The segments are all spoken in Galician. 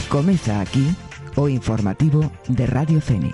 Comeza aquí o informativo de Radio Fene.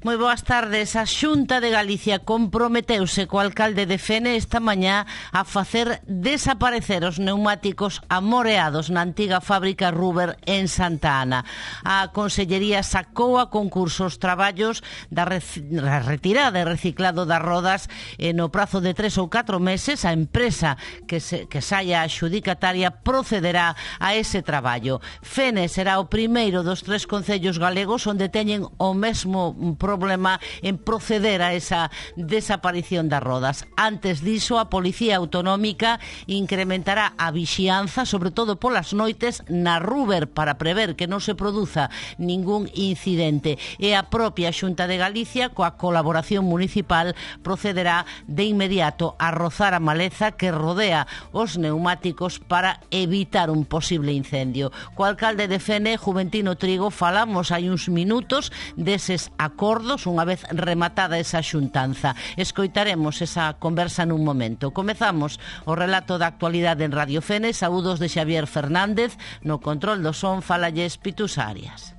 Moi boas tardes. A Xunta de Galicia comprometeuse co alcalde de Fene esta mañá a facer desaparecer os neumáticos amoreados na antiga fábrica Ruber en Santa Ana. A Consellería sacou a concurso os traballos da retirada e reciclado das rodas no prazo de 3 ou 4 meses. A empresa que saia adxudicataria procederá a ese traballo. Fene será o primeiro dos 3 concellos galegos onde teñen o mesmo problema en proceder a esa desaparición das rodas. Antes diso, a Policía Autonómica incrementará a vixianza, sobre todo polas noites, na Ruber para prever que non se produza ningún incidente. E a propia Xunta de Galicia, coa colaboración municipal, procederá de inmediato a rozar a maleza que rodea os neumáticos para evitar un posible incendio. Co alcalde de Fene, Juventino Trigo, falamos hai uns minutos deses acordos unha vez rematada esa xuntanza. Escoitaremos esa conversa nun momento. Comezamos o relato da actualidade en Radio Fene. Saúdos de Xavier Fernández. No control do son falalles Pitus Arias.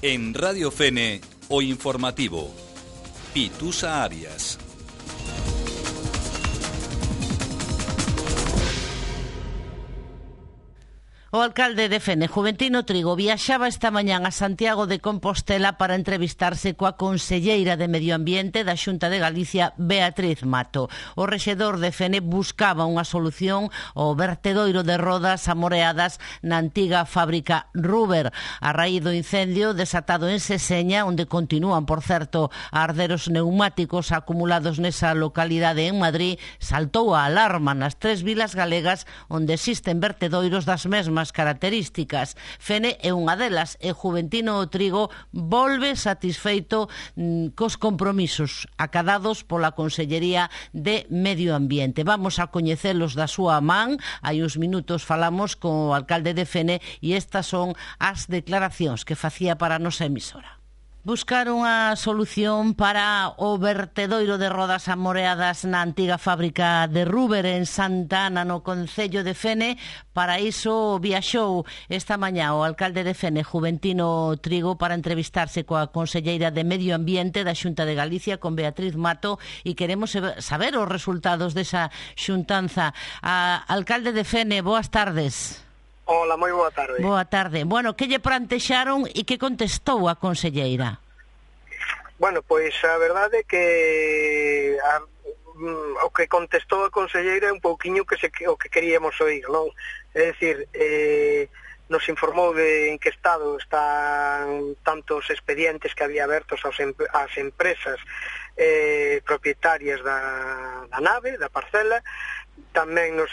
En Radio Fene, o informativo. Pitusa Arias. O alcalde de Fene, Juventino Trigo, viaxaba esta mañán a Santiago de Compostela para entrevistarse coa conselleira de Medio Ambiente da Xunta de Galicia, Beatriz Mato. O rexedor de Fene buscaba unha solución ao vertedoiro de rodas amoreadas na antiga fábrica Ruber. A raíz do incendio desatado en Seseña, onde continúan, por certo, a arder os neumáticos acumulados nesa localidade en Madrid, saltou a alarma nas 3 vilas galegas onde existen vertedoiros das mesmas características. Fene é unha delas e Juventino Trigo volve satisfeito cos compromisos acadados pola Consellería de Medio Ambiente. Vamos a coñecelos da súa man. Hai uns minutos falamos co alcalde de Fene e estas son as declaracións que facía para a nosa emisora. Buscar unha solución para o vertedoiro de rodas amoreadas na antiga fábrica de Ruber en Santa Ana, no concello de Fene. Para iso viaxou esta mañá o alcalde de Fene, Juventino Trigo, para entrevistarse coa conselleira de Medio Ambiente da Xunta de Galicia, con Beatriz Mato, e queremos saber os resultados desa xuntanza. Alcalde de Fene, boas tardes. Hola, moi boa tarde. Boa tarde. Bueno, que lle plantexaron e que contestou a conselleira? Bueno, pois a verdade é que o que contestou a conselleira é un pouquiño o que queríamos oír, non? É dicir, nos informou de en que estado están tantos expedientes que había abertos ás empresas propietarias da nave, da parcela. Tamén nos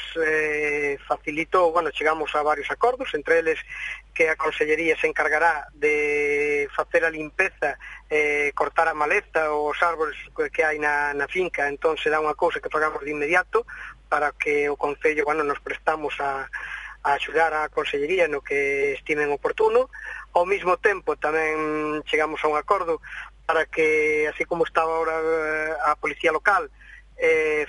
facilitou, chegamos a varios acordos, entre eles que a Consellería se encargará de facer a limpeza, cortar a maleza ou os árbores que hai na finca. Entón será unha cousa que fagamos de inmediato para que o Concello, nos prestamos a axudar a Consellería no que estimen oportuno. Ao mesmo tempo tamén chegamos a un acordo para que, así como estaba ahora a Policía Local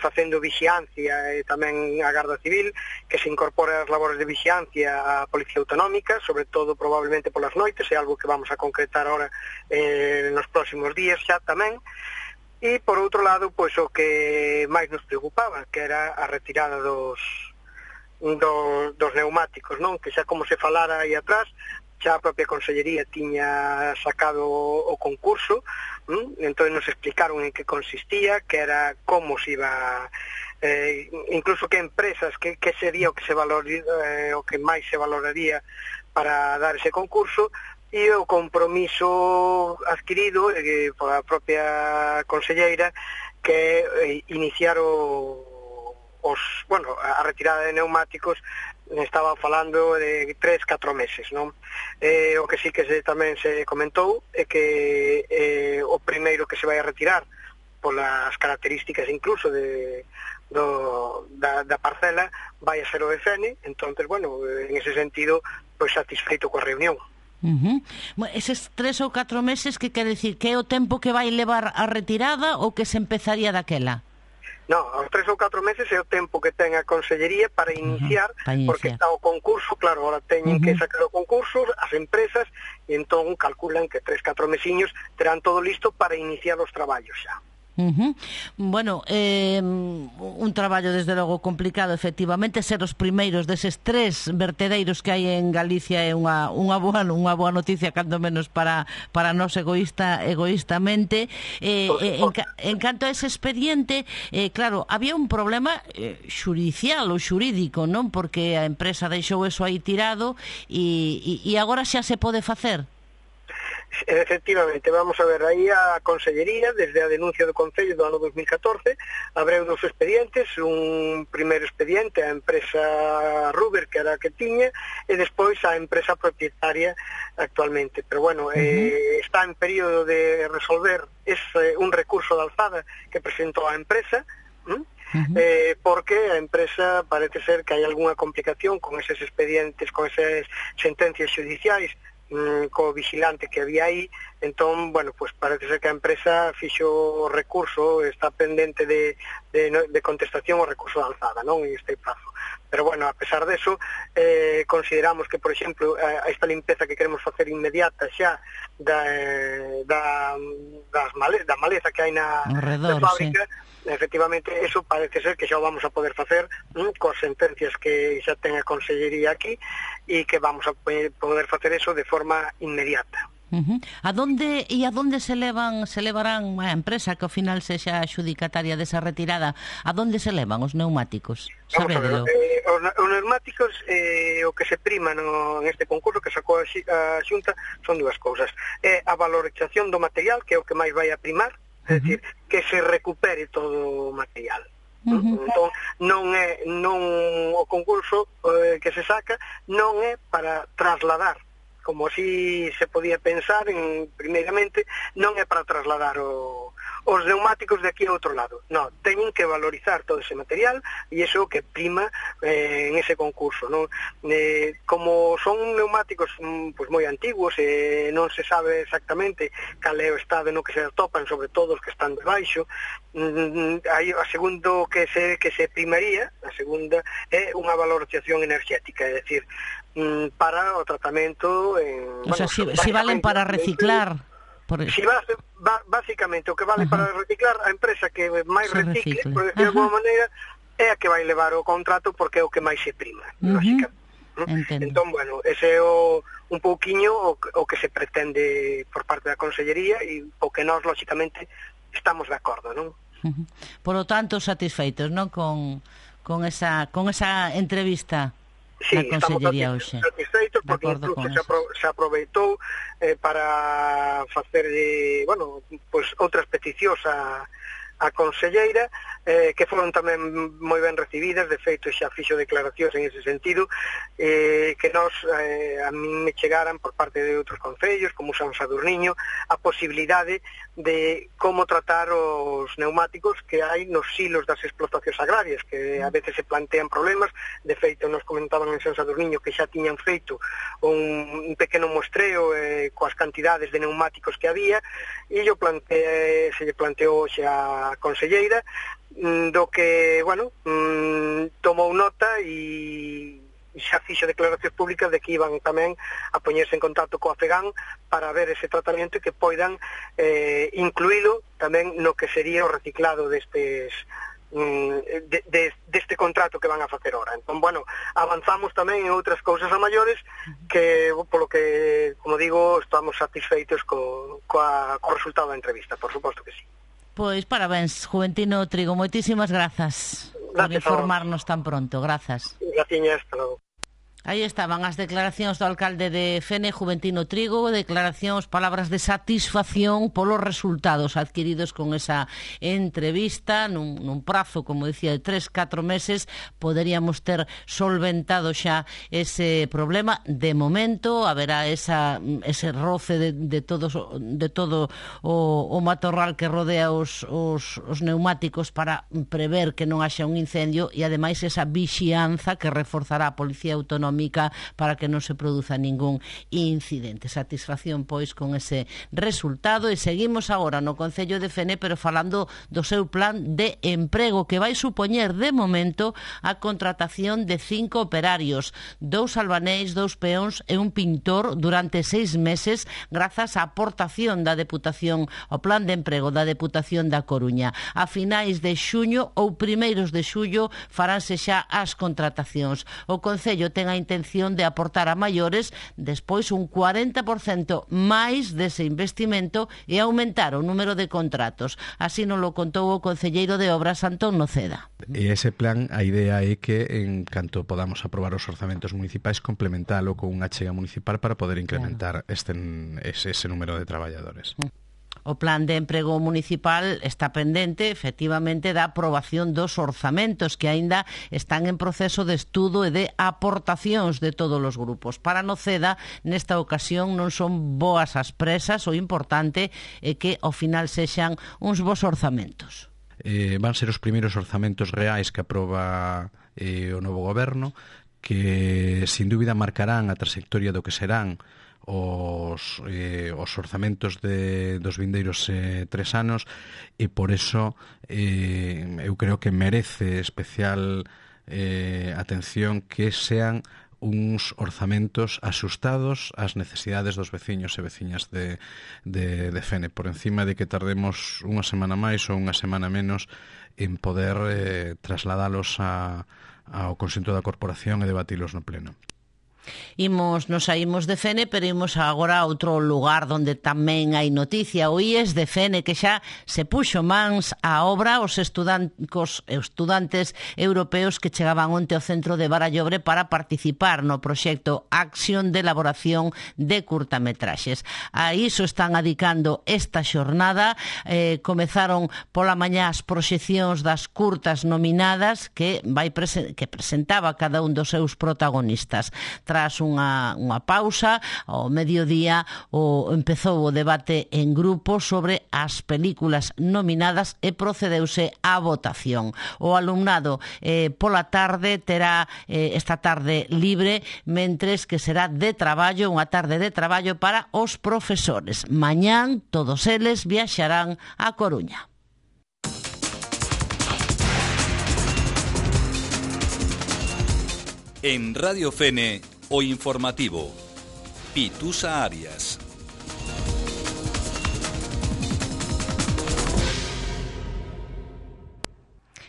facendo vixiancia e tamén a Garda Civil, que se incorpore as labores de vixiancia a Policía Autonómica, sobre todo probablemente polas noites, é algo que vamos a concretar ahora nos próximos días xa tamén. E por outro lado, pois o que máis nos preocupaba, que era a retirada dos neumáticos, non? Que xa como se falara aí atrás, xa a propia Consellería tiña sacado o concurso, entón nos explicaron en que consistía, que era como se iba, incluso que empresas, que sería o que se valoraría, o que máis se valoraría para dar ese concurso, e o compromiso adquirido pola propia conselleira, que iniciar a retirada de neumáticos estaba falando de 3-4 meses, non? O que sí que tamén se comentou é que o primeiro que se vai a retirar polas características incluso da parcela vai a ser o EFN. Entonces, bueno, en ese sentido, pois satisfeito coa reunión. Eses 3 ou 4 meses, que quere dicir? Que é o tempo que vai levar a retirada ou que se empezaría daquela? Non, aos 3 ou 4 meses é o tempo que ten a Consellería para iniciar, porque está o concurso, claro, ahora teñen que sacar o concurso, as empresas, e entón calculan que 3-4 mesiños terán todo listo para iniciar os traballos xa. Bueno, un traballo desde logo complicado, efectivamente. Ser os primeiros deses 3 vertedeiros que hai en Galicia é unha boa noticia, cando menos para nós egoístamente. En canto a ese expediente, claro, había un problema xudicial ou xurídico, non? Porque a empresa deixou eso aí tirado e agora xa se pode facer. Efectivamente, vamos a ver, aí a Consellería, desde a denuncia do Concello do ano 2014, abreu 2 expedientes, un primeiro expediente a empresa Ruber, que era a que tiña, e despois a empresa propietaria actualmente. Pero bueno, está en período de resolver un recurso de alzada que presentou a empresa, porque a empresa parece ser que hai algunha complicación con eses expedientes, con esas sentencias judiciais, co vigilante que había aí. Entón, bueno, pues parece ser que a empresa fixo o recurso, está pendente de contestación o recurso de alzada, non? En este prazo. Pero bueno, a pesar deso, consideramos que, por exemplo, esta limpeza que queremos facer inmediata xa da maleza que hai na fábrica, efectivamente, eso parece ser que xa o vamos a poder facer coas sentencias que xa ten a Consellería aquí, e que vamos a poder facer eso de forma inmediata. A donde se levarán a empresa que ao final sexa adxudicataria desa retirada? A donde se levan os neumáticos? Sabedelo. Os neumáticos, o que se prima en este concurso que sacou a Xunta son 2 cousas. É a valorización do material, que é o que máis vai a primar, é dicir, que se recupere todo o material. Entón, o concurso que se saca non é para trasladar, como así se podía pensar primeiramente, non é para trasladar os neumáticos de aquí a outro lado. Non, teñen que valorizar todo ese material, e iso que prima en ese concurso, non? Como son neumáticos pues moi antiguos, non se sabe exactamente cal é o estado no que se atopan, sobre todo os que están debaixo. A segundo que se primaría, a segunda é unha valorización enerxética, é dicir, para o tratamento o sea, si valen para reciclar. Si básicamente o que vale para reciclar, a empresa que máis recicle, por decir de alguma maneira, é a que vai levar o contrato, porque é o que máis se prima, básicamente. Entón, bueno, ese é un pouquiño o que se pretende por parte da Consellería, e o que nós, lógicamente, estamos de acordo, non? Por lo tanto, satisfeitos, non? Con esa entrevista. Sí, estamos satisfeitos, porque incluso se aproveitou para facer pues, outras peticións a Conselleira, que foron tamén moi ben recibidas. De feito, xa fixo declaracións en ese sentido, que a min me chegaran por parte de outros concellos, como San Sadurniño, a posibilidade de como tratar os neumáticos que hai nos silos das explotacións agrarias, que a veces se plantean problemas. De feito, nos comentaban en San Sadurniño que xa tiñan feito un pequeno mostreo coas cantidades de neumáticos que había, e se lle planteou xa a Conselleira, do que, tomou nota e xa fixo declaracións públicas de que iban tamén a poñerse en contacto coa FEGAN para ver ese tratamento, e que poidan incluílo tamén no que sería o reciclado deste contrato que van a facer ahora. Entón, avanzamos tamén en outras cousas a maiores, que, polo que, como digo, estamos satisfeitos co resultado da entrevista, por suposto que sí. Pois parabéns, Juventino Trigo, moitísimas grazas por informarnos tan pronto. Grazas. Graciñas, hasta logo. Aí estaban as declaracións do alcalde de Fene, Juventino Trigo, declaracións, palabras de satisfacción polos resultados adquiridos con esa entrevista nun prazo, como decía, de 3-4 meses. Poderíamos ter solventado xa ese problema. De momento haberá ese roce de todo o matorral que rodea os neumáticos para prever que non haxa un incendio, e ademais esa vixianza que reforzará a Policía Autonómica para que non se produza ningún incidente. Satisfacción, pois, con ese resultado. E seguimos agora no Concello de Fene, pero falando do seu plan de emprego, que vai supoñer, de momento, a contratación de 5 operarios, 2 albaneis, 2 peóns e un pintor durante 6 meses, grazas á aportación da Deputación, ao plan de emprego da Deputación da Coruña. A finais de xuño ou primeiros de xullo faránse xa as contratacións. O Concello ten a intención de aportar a maiores despois un 40% máis dese investimento e aumentar o número de contratos. Así nos lo contou o concelleiro de Obras, Antón Noceda. E ese plan, a idea é que en canto podamos aprobar os orzamentos municipais, complementalo con unha achega municipal para poder incrementar ese número de traballadores. O plan de emprego municipal está pendente, efectivamente, da aprobación dos orzamentos que aínda están en proceso de estudo e de aportacións de todos os grupos. Para Noceda, nesta ocasión, non son boas as presas, o importante é que ao final sexan uns bons orzamentos. Van ser os primeiros orzamentos reais que aproba o novo goberno, que sin dúbida marcarán a trayectoria do que serán os orzamentos dos vindeiros 3 anos, e por eso eu creo que merece especial atención que sean uns orzamentos asustados ás necesidades dos veciños e veciñas de Fene, por encima de que tardemos unha semana máis ou unha semana menos en poder trasladalos ao conxunto da corporación e debatilos no pleno. Nos saímos de Fene, pero imos agora a outro lugar onde tamén hai noticia. O IES de Fene, que xa se puxo mans á obra os estudantes europeos que chegaban onte ao centro de Barallobre para participar no proxecto Acción de elaboración de curtametraxes. A iso están adicando esta xornada. Comezaron pola mañá as proxeccións das curtas nominadas que presentaba cada un dos seus protagonistas. Tras unha pausa, ao mediodía empezou o debate en grupo sobre as películas nominadas e procedeuse á votación. O alumnado pola tarde terá esta tarde libre, mentres que será de traballo, unha tarde de traballo para os profesores. Mañán todos eles viaxarán a Coruña. En Radio Fene, o informativo. Pitusa Arias.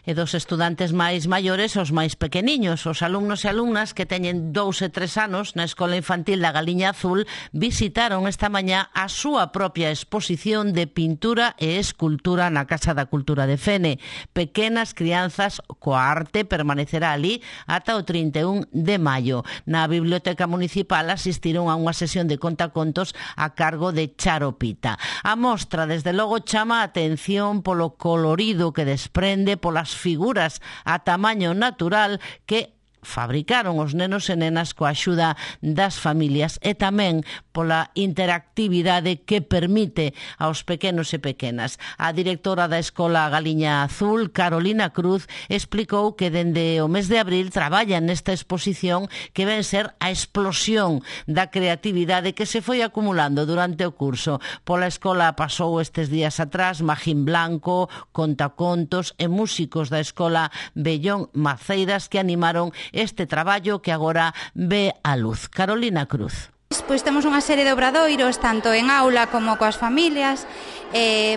E dos estudantes máis maiores aos máis pequeniños. Os alumnos e alumnas que teñen 2 e 3 anos na Escola Infantil da Galiña Azul visitaron esta mañá a súa propia exposición de pintura e escultura na Casa da Cultura de Fene. Pequenas crianzas coa arte permanecerá ali ata o 31 de maio. Na Biblioteca Municipal asistiron a unha sesión de contacontos a cargo de Charo Pita. A mostra, desde logo, chama a atención polo colorido que desprende, polas figuras a tamaño natural que fabricaron os nenos e nenas coa axuda das familias, e tamén pola interactividade que permite aos pequenos e pequenas. A directora da Escola Galiña Azul, Carolina Cruz, explicou que dende o mes de abril traballan nesta exposición que ven ser a explosión da creatividade que se foi acumulando durante o curso. Pola escola pasou estes días atrás Magín Blanco, contacontos e músicos da Escola Bellón Maceiras que animaron este traballo que agora ve a luz. Carolina Cruz. Pois temos unha serie de obradoiros tanto en aula como coas familias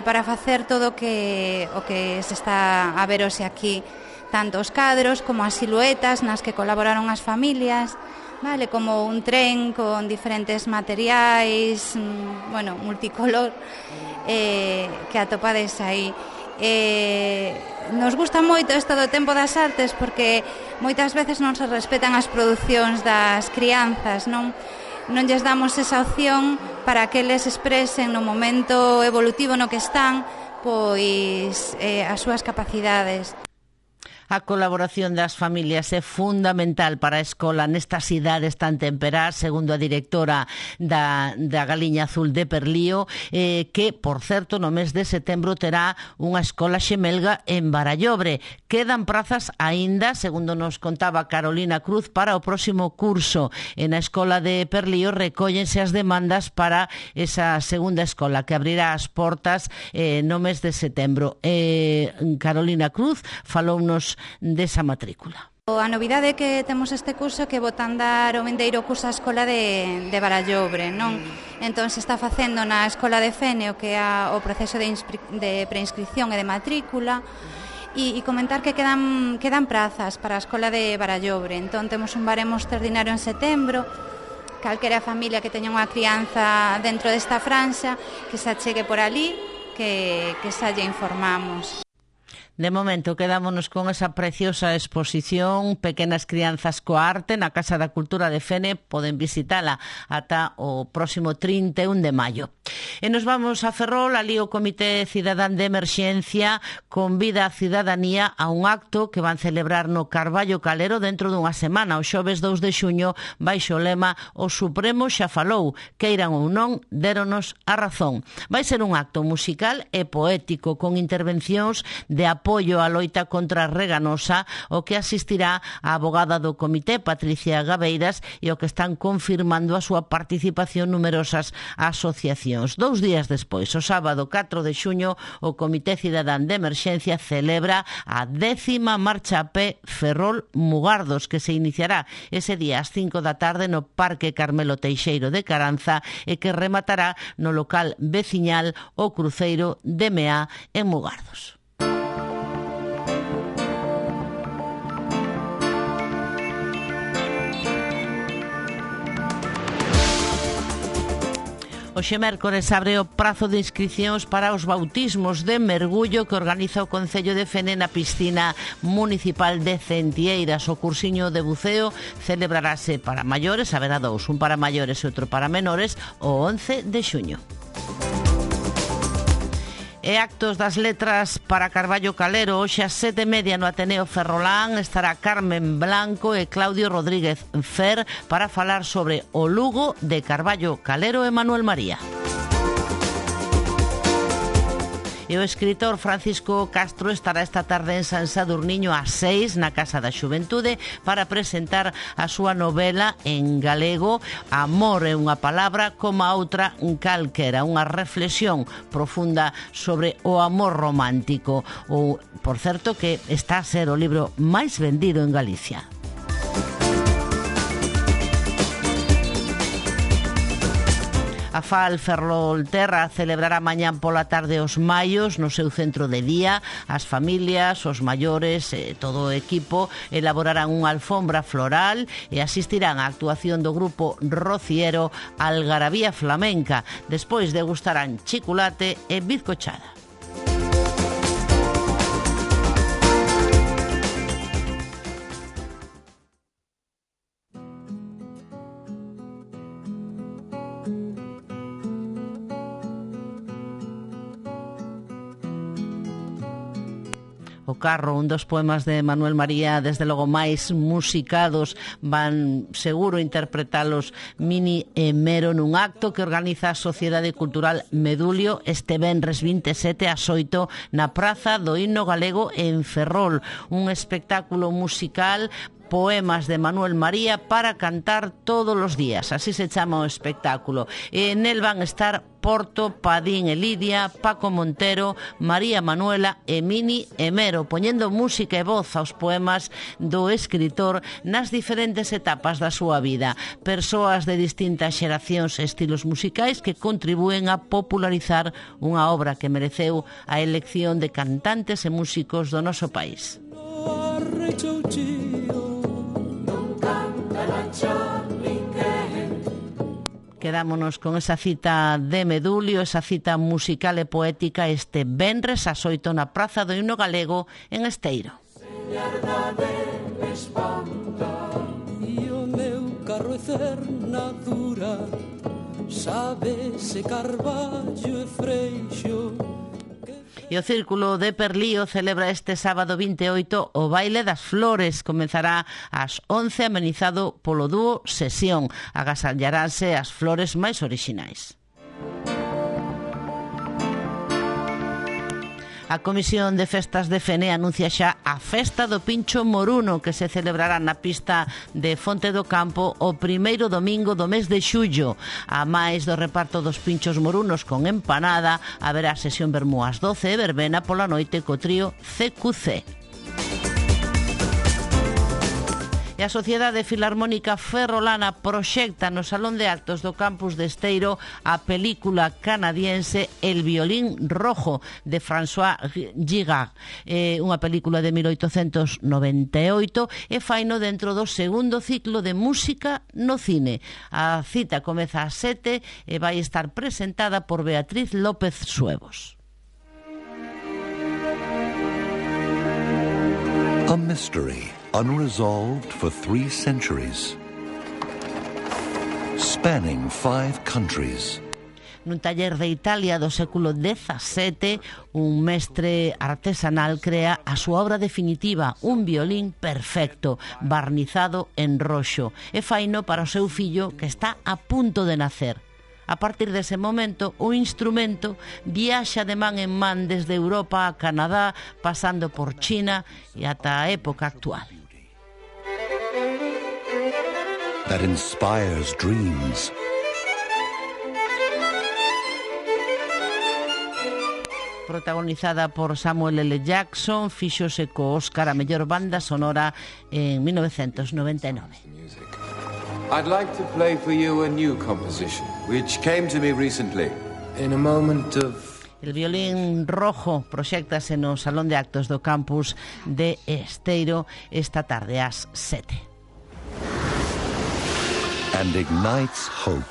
para facer todo o que se está a ver hoxe aquí, tanto os cadros como as siluetas nas que colaboraron as familias, vale, como un tren con diferentes materiais, multicolor, que atopades aí. Nos gusta moito isto do tempo das artes porque moitas veces non se respetan as producións das crianzas, non lles damos esa opción para que eles expresen no momento evolutivo no que están pois as súas capacidades. A colaboración das familias é fundamental para a escola nestas idades tan temperás, segundo a directora da Galiña Azul de Perlío, que, por certo, no mes de setembro terá unha escola xemelga en Barallobre. Quedan prazas aínda, segundo nos contaba Carolina Cruz, para o próximo curso. En a escola de Perlío recóllense as demandas para esa segunda escola que abrirá as portas no mes de setembro. Carolina Cruz falounos desa matrícula. A novidade que temos este curso é que botan dar o vindeiro curso á escola de Barallobre, non? Entón se está facendo na escola de Fene o que é o proceso de preinscripción e de matrícula e comentar que quedan prazas para a escola de Barallobre. Entón temos un baremo extraordinario en setembro. Calquera familia que teña unha crianza dentro desta franxa que se achegue por ali, que xa lle informamos. De momento, quedámonos con esa preciosa exposición Pequenas crianzas coa arte na Casa da Cultura de Fene. Poden visitala ata o próximo 31 de maio. E nos vamos a Ferrol. Ali o Comité Cidadán de Emerxencia convida a cidadanía a un acto que van celebrar no Carballo Calero dentro dunha semana, o xoves 2 de xuño, baixo o lema O Supremo xa falou, queiran ou non, déronos a razón. Vai ser un acto musical e poético con intervencións de apoio á loita contra a reganosa, o que asistirá a abogada do comité, Patricia Gabeiras, e o que están confirmando a súa participación numerosas asociacións. 2 días despois, o sábado 4 de xuño, o Comité Cidadán de Emerxencia celebra a 10ª marcha a pé Ferrol-Mugardos, que se iniciará ese día ás 5 da tarde no Parque Carmelo Teixeiro de Caranza e que rematará no local veciñal O Cruceiro de Meá en Mugardos. Hoxe mércores abre o prazo de inscricións para os bautismos de mergullo que organiza o Concello de Fene na piscina municipal de Centieiras. O cursiño de buceo celebrarase para maiores, haberá dous, un para maiores e outro para menores, o 11 de xuño. E actos das letras para Carballo Calero. Hoxe ás 7:30 no Ateneo Ferrolán estará Carmen Blanco e Claudio Rodríguez Fer para falar sobre o Lugo de Carballo Calero e Manuel María. E o escritor Francisco Castro estará esta tarde en San Sadurniño ás 6 na Casa da Xuventude para presentar a súa novela en galego Amor é unha palabra como a outra calquera, unha reflexión profunda sobre o amor romántico. Ou, por certo, que está a ser o libro máis vendido en Galicia. A FAL Ferrolterra celebrará mañán pola tarde os maios no seu centro de día. As familias, os maiores e todo o equipo elaborarán unha alfombra floral e asistirán á actuación do grupo rociero Algarabía Flamenca. Despois degustarán chiculate e bizcochada. O carro, un dos poemas de Manuel María, desde logo máis musicados, van seguro interpretalos Mini e Mero nun acto que organiza a Sociedade Cultural Medulio este venres 27 ás 8 na Praza do Himno Galego en Ferrol. Un espectáculo musical, poemas de Manuel María para cantar todos os días, así se chama o espectáculo. E nel van estar Porto, Padín e Lidia, Paco Montero, María Manuela e Mini e Mero, poñendo música e voz aos poemas do escritor nas diferentes etapas da súa vida. Persoas de distintas xeracións e estilos musicais que contribúen a popularizar unha obra que mereceu a elección de cantantes e músicos do noso país. quedámonos con esa cita de Medulio, esa cita musical e poética este venres ás 8 na Praza do Himno Galego en Esteiro. E o meu carro é cernadura, sabese carballo e freixo. E o Círculo de Perlío celebra este sábado 28 o Baile das Flores. Comenzará ás 11 amenizado polo dúo Sesión. Agasallaránse as flores máis orixinais. A Comisión de Festas de Fene anuncia xa a Festa do Pincho Moruno, que se celebrará na pista de Fonte do Campo o primeiro domingo do mes de xullo. A máis do reparto dos pinchos morunos con empanada, haberá sesión vermú ás 12 e verbena pola noite co trío CQC. E a Sociedade Filarmónica Ferrolana proxecta no Salón de Actos do Campus de Esteiro a película canadiense El violín rojo de François Gigard. Unha película de 1898 e faino dentro do segundo ciclo de música no cine. A cita comeza ás 7 e vai estar presentada por Beatriz López Suevos. A mystery unresolved for 3 centuries, spanning 5 countries. Nun taller de Italia do século XVII, un mestre artesanal crea a súa obra definitiva, un violín perfecto, barnizado en roxo, e faino para o seu fillo que está a punto de nacer. A partir dese momento, o instrumento viaxa de man en man desde Europa a Canadá, pasando por China e ata a época actual. That inspires dreams. Protagonizada por Samuel L. Jackson, fíxose co Óscar a mellor banda sonora en 1999. I'd like to play for you a new composition, which came to me recently. In a moment of... El violín rojo proxéctase no Salón de Actos do Campus de Esteiro esta tarde ás 7. And ignites hope.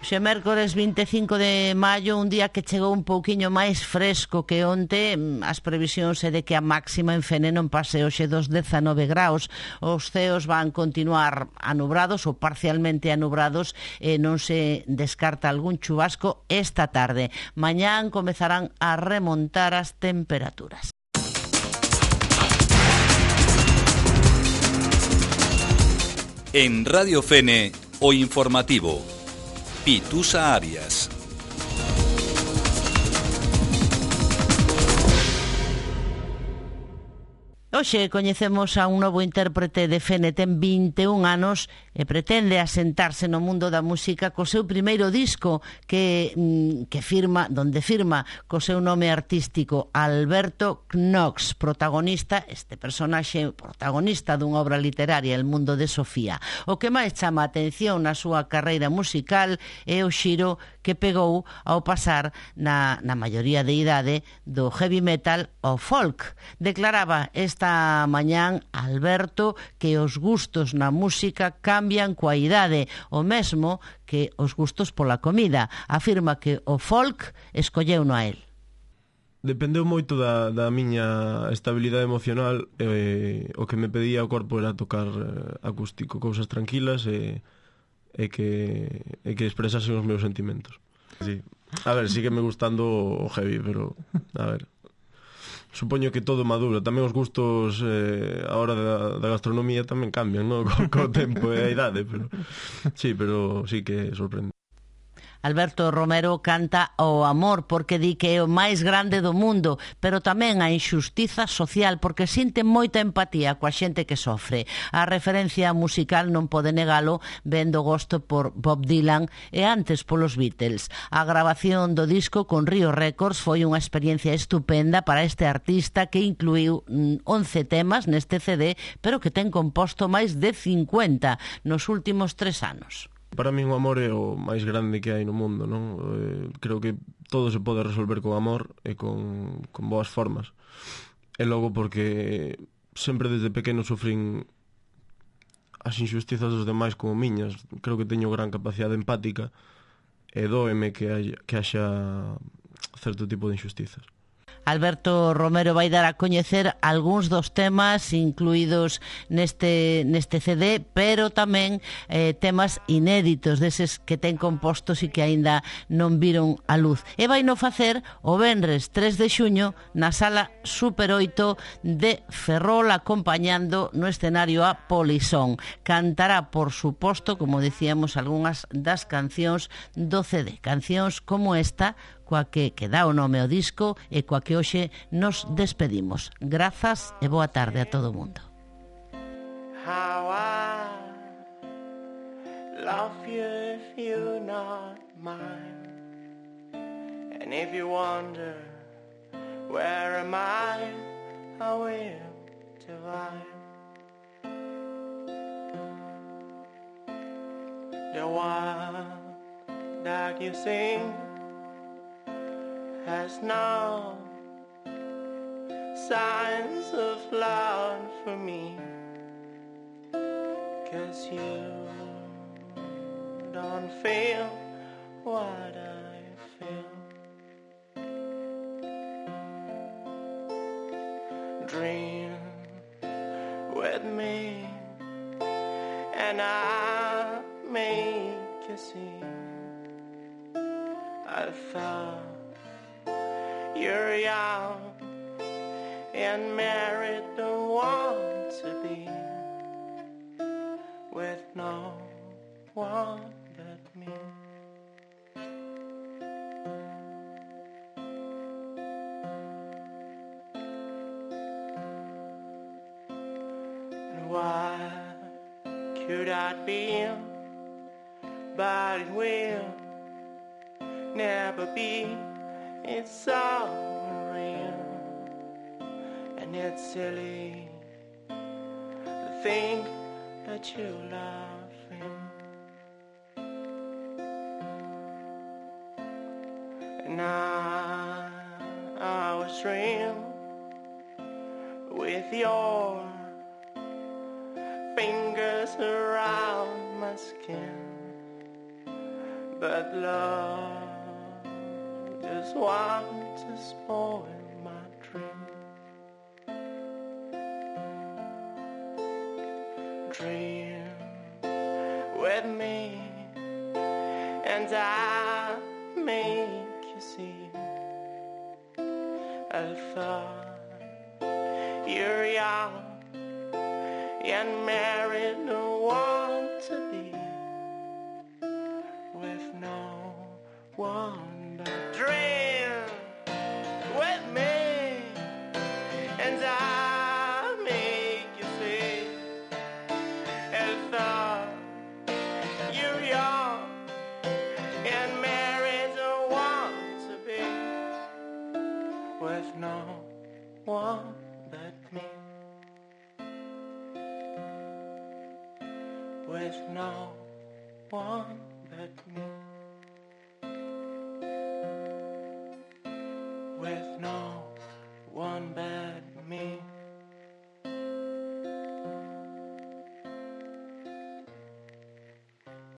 Xe mércores 25 de maio, un día que chegou un pouquiño máis fresco que onte. As previsións é de que a máxima en Fene non pase hoxe dos 19 graus. Os ceos van continuar anubrados ou parcialmente anubrados e non se descarta algún chubasco esta tarde. Mañán comezarán a remontar as temperaturas. En Radio Fene, o informativo. Pitusa Arias. Hoxe coñecemos a un novo intérprete de Fene, ten 21 anos e pretende asentarse no mundo da música co seu primeiro disco que firma, donde firma co seu nome artístico Alberto Knox, protagonista, este personaxe protagonista dunha obra literaria, El mundo de Sofía. O que máis chama a atención na súa carreira musical é o xiro que pegou ao pasar na maioría de idade do heavy metal ao folk. Declaraba esta mañán Alberto que os gustos na música cambian coa idade, o mesmo que os gustos pola comida. Afirma que o folk escolleuno a él. Dependeu moito da miña estabilidade emocional. O que me pedía o corpo era tocar acústico, cousas tranquilas e que expresasen os meus sentimentos. Sí. A ver, sígueme gustando o heavy, pero a ver, supoño que todo madura. Tamén os gustos a hora da gastronomía tamén cambian, ¿no? Co tempo e a idade, pero sí que sorprende. Alberto Romero canta o amor porque di que é o máis grande do mundo, pero tamén a injustiza social porque sinte moita empatía coa xente que sofre. A referencia musical non pode negalo, vendo gosto por Bob Dylan e antes polos Beatles. A grabación do disco con Río Records foi unha experiencia estupenda para este artista que incluiu 11 temas neste CD, pero que ten composto máis de 50 nos últimos 3 anos. Para min o amor é o máis grande que hai no mundo, non? Creo que todo se pode resolver con amor e con boas formas. E logo porque sempre desde pequeno sufrín as injustizas dos demais como miñas. Creo que teño gran capacidade empática e dóeme que haxa certo tipo de injustizas. Alberto Romero vai dar a coñecer algúns dos temas incluídos neste CD, pero tamén temas inéditos deses que ten compostos e que aínda non viron a luz. E vai no facer o venres 3 de xuño na Sala Super 8 de Ferrol, acompañando no escenario a Polisón. Cantará, por suposto, como decíamos, algunhas das cancións do CD. Cancións como esta, coa que dá o nome ao disco e coa que hoxe nos despedimos. Grazas e boa tarde a todo o mundo. How I love you if you're not mine. And if you wonder where am I will divide. The one that you sing has no signs of love for me, 'cause you don't feel what I feel. Dream with me and I'll make you see. I thought you're young and married, don't want to be with no one but me. And what could that be? But it will never be. It's so real, and it's silly to think that you love him. And I was dream with your fingers around my skin, but love just want to spoil my dream. Dream with me and I'll make you see. I thought you're young and married, don't want to be with no one but dream with me and I'll make you see. And thought you're young and married, don't want to be with no one but me. With no one but me.